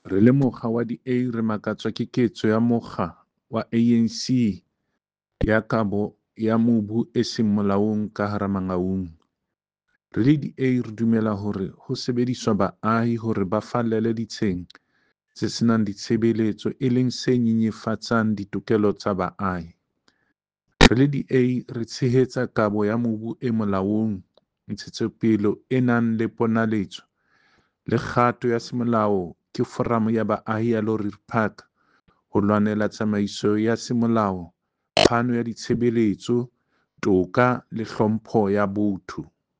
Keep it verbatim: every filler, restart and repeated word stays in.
Re le mokga wa D A re makatswa ke ketso ya mokga wa A N C ya kabo ya mobu e seng molaong ka hara Mangaung. Re le D A re dumela hore ho sebediswa baahi hore ba fallele ditsheng tse senang ditshebeletso e leng se nyenyefatsang ditokelo tsa baahi. Re le D A re tshehetsa kabo ya mobu e molaong, ntshetsopele e nang le ponaletso le kgato ya semolao ke Foramo ya Baahi ya Loerie Park ho lwanela tsamaiso ya semolao, phano ya ditshebeletso, toka le hlompho ya botho.